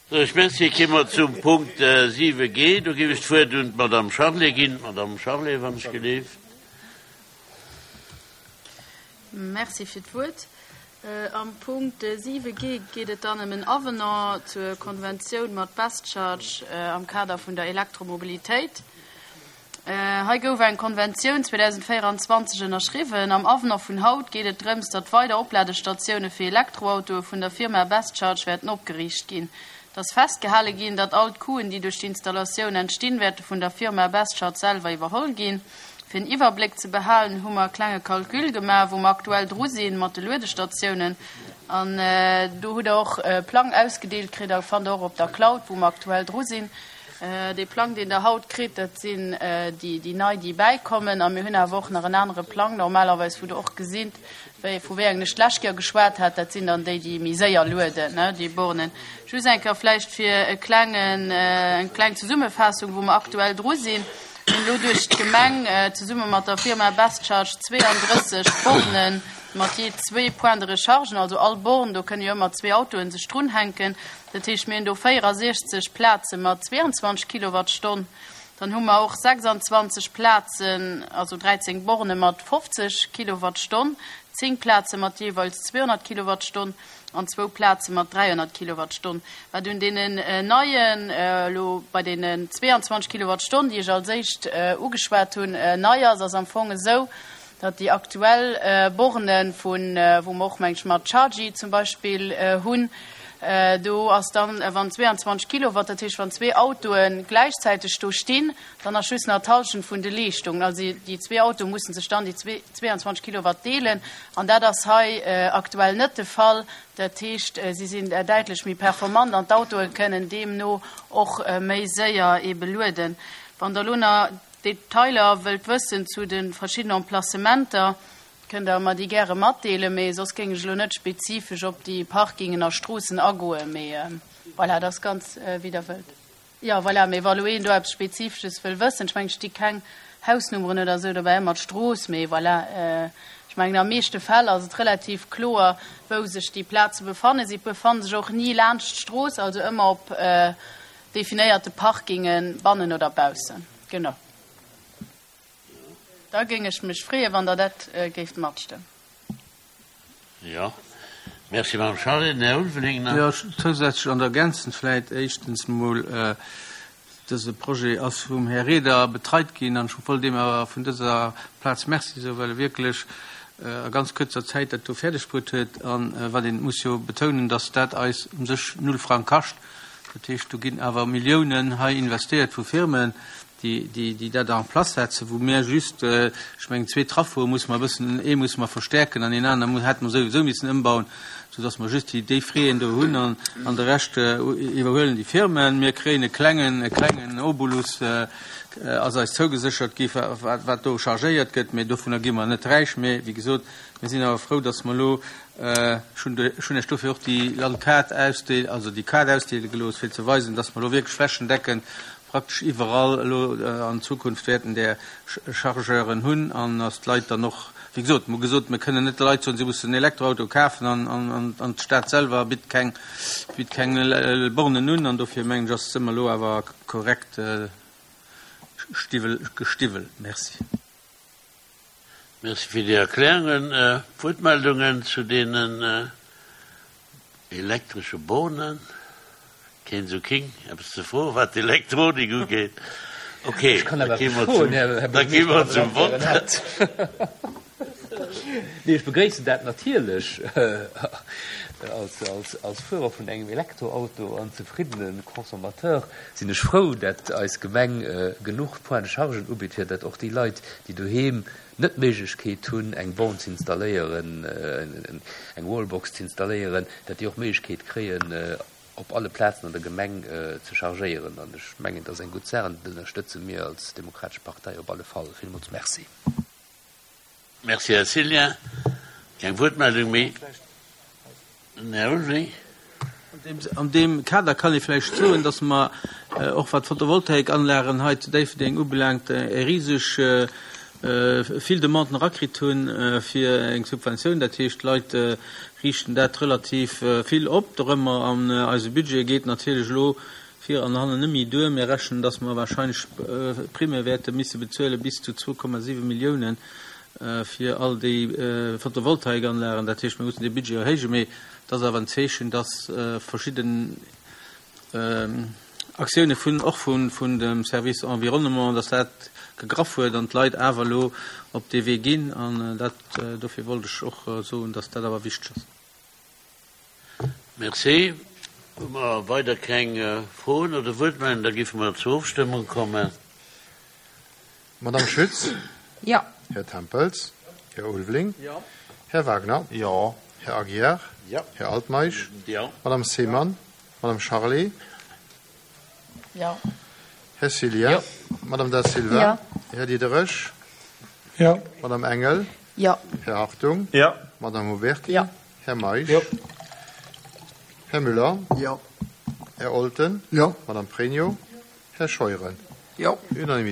Sou, ech merci. Kéime mer zum Punkt 7 G. Do géif ech d'Wuert un d'Madame Charlé ginn. Madame Charlé, wann ech geleeft. Merci fir d'Wuert. Am Punkt 7 G geet et dann ëm en Avenant zur Konventioun mat BestCharge am Kader vun der Elektromobilitéit. Hei gouf eng Konventioun 2024 ënnerschriwwen. Am Avenant vun haut geet et drëms, datt weider Opladestatioune fir Elektroautoe vun der Firma BestCharge wäerten opgeriicht ginn. Et ass festgehale ginn, datt all d'Coûten, déi duerch d'Installatioun entstinn, wäerte vun der Firma BestCharge selwer iwwerholl ginn. Fir en Iwwerbléck ze behalen, hu mer e klenge Calcul gemaach, wou mer aktuell dru sinn mat de Luedestatiounen. An do hutt Der och e Plang ausgedeelt kritt a fannt Der och op der Cloud, wou mer aktuell dru sinn. Dee Plang, deen Der haut kritt, dat sinn déi nei, déi bäikommen. A mir hunn awer och nach en anere Plang normalerweis, wou Der och gesitt, wéi, vu wéi engen ech d'lescht Kéier geschwat hat. Dat sinn dann déi, déi méi séier lueden, déi Bornen. Just eng Kéier vläicht fir e klengen, eng kleng Zesummefaassung, wou mer aktuell dru sinn. Mir hunn elo duerch d'Gemeng zesumme mat der Firma BestCharge 32 Bornen mat jee zwee Points de recharge, also all Born, do kënne jo ëmmer zwee Autoen sech drunhänken. Dat heescht, mir hunn do 64 Plaze mat 22 Kilowattstonn. Dann hu mer och 26 Plazen, also 13 Borne mat 50 Kilowattstonn, 10 Plaze mat jeeweils 200 Kilowattstonn an zwou Plaze mat 300 Kilowattstonn. Wat un deenen neien, elo bei deenen 22 Kilowattstonn, déi ech als éischt ugeschwat hunn, nei ass, ass am Fong esou, datt déi aktuell Borne vun, wou mer och, meng ech, mat Chargy zum Beispill hunn, do ass dann, wann 22 Kilowatt, dat heescht wann zwee Autoe gläichzäiteg do stinn, dann ass just nach d'Hallschent vun de Leeschtungen. Also déi zwee Autoe musse sech dann déi 22 Kilowatt deelen an dat ass hei aktuell net de Fall. Dat heescht, si sinn däitlech méi performant an d'Autoe kënnen deemno och méi séier ebe lueden. Wann Der elo nach Detailer wëllt wëssen zu de verschiddenen Emplacementer, kënnt Der mer déi gäre matdeelen, mee soss géing ech elo net spezifesch op déi Parkingen a Stroossen agoen. Mee voilà, dat ass ganz wéi Der wëllt. Jo, voilà, mee wa lo een do eppes Spezifesches wëll wëssen, ech mengen, et sti keng Hausnummeren oder esou dobäi, ëmmer d'Strooss, mee voilà, ech mengen, am meeschte Fäll ass et relativ kloer, wou sech déi Plaze befannen. Si befanne sech och ni laanscht d'Strooss, also ëmmer op definéierte Parkingen, bannen oder baussen. Genau. Da géing ech mech freeën, wann Der dat géift matstëmmen. Jo. Merci, Madame Charlé. Den Här Ulveling nach. Jo, zousätzlech an ergänzend vläit éischtens emol, Dëse Projet ass vum Här Reder betreit ginn an ech wollt deem awer vun dëser Plaz Merci soen, well e wierklech a ganz kuerzer Zäit dat do fäerdeg bruet huet. A wat een muss jo betounen, dass dat eis u sech null Frang kascht. Dat heescht, do ginn awer Milliounen hei investéiert vu Firmen, déi dat en place setzen, wou mir just, ech mengen, zwee Traffoe musse mer e bëssen, ee musse mer verstärken an een anere hätte mer souwisou missen ëmbauen, soudass mer just déi Fräen do hunn an de Rescht iwwerhuelen déi Firmen. Mir kréien e klengen, e klengen Obolus ass eis zougeséchert gi wat do chargéiert gëtt, mä dovunner gi mer net räich. Mä wéi gesot, mir sinn awer frou, dass mer elo Ech hunn Iech dofir och déi Landkaart ausdeelen, also déi Kaart ausdeele gelooss, fir ze weisen, dass mer elo wierklech flächendeckend praktesch iwwerall elo an Zukunft wäerten där Chargeuren hunn an dass d'Leit dann och, wéi gesot, mer hu gesot, mir kënnen net de Leit soen, si mussen en Elektroauto kafen an d'Stad selwer bitt keng, bitt keng Bornen un. An dofir mengen ech, ass ëmmer elo awer korrekt gestiwwelt. Merci. Merci fir déi Erklärungen. Wuertmeldungen zu deenen elektresche Bornen? Keen esou king eppes ze froen, wat d'Elektronik ugeet. Ok, da gi mer zum, da gi mer zum Vott. Nee, ech begréissen dat natierlech als Fuerer vun engem Elektroauto an zefriddene Consommateur sinn ech frou, dat eis Gemeng genuch Points de chargen ubitt, fir dat och déi Leit, déi doheem net d'Méiglechkeet hunn, eng Born ze installéieren, eng Wallbox ze installéieren, dat déi och d'Méiglechkeet kréien, op alle Plazen an der Gemeng ze chargéieren. An ech mengen, dat ass eng gutt Saach an dat ënnerstëtze mir als Demokratesch Partei op alle Fall. Villmools Merci. Merci, Här Cillien. Keng Wuertmeldung méi. Den Här Ulveling. An deem Kader kann ee vläicht soen, dass mer och wat d'Photovoltaikanlagen hei zu Déifferdeng ubelaangt, e riseg. vill Demanden erakritt hunn fir eng Subventioun. Dat heescht, d'Leit riichten dat relativ vill op dorëmmer an eise Budget geet natierlech elo vir an hannen net méi duer. Mir rechnen, dass mer wahrscheinlech Primme wäerte misse bezuele bis zu 2,7 Milliounen fir all déi Photovoltaikanlagen. Dat heescht, mir mussen dee Budget erhéijen. Mee et ass awer en Zeechen, dass verschidden Aktioune vun, och vun dem Service Environnement, dass dat gegraff huet an d'Leit awer elo op dee Wee ginn. An dat, dofir wollt ech och soen, dass dat awer wichteg ass. Merci. Hu mer weider keng Froen oder Wuertmeldungen, da géife mer zur Ofstëmmung kommen. Madame Schütz? Jo. Här Tempels? Här Ulveling? Jo. Här Wagner? Jo. Här Aguiar? Jo. Här Altmeisch? Jo. Madame Seemann? Madame Charlé? Jo. Här Cillien? Jo. Madame Da Silva? Jo. Här Diderich? Jo. Madame Engel? Jo. Här Hartung? Jo. Madame Huberty? Jo. Här Meisch? Jo. Här Müller? Jo. Här Olten? Jo. Madame Pregno? Här Scheuren? Jo. Unanimitéit.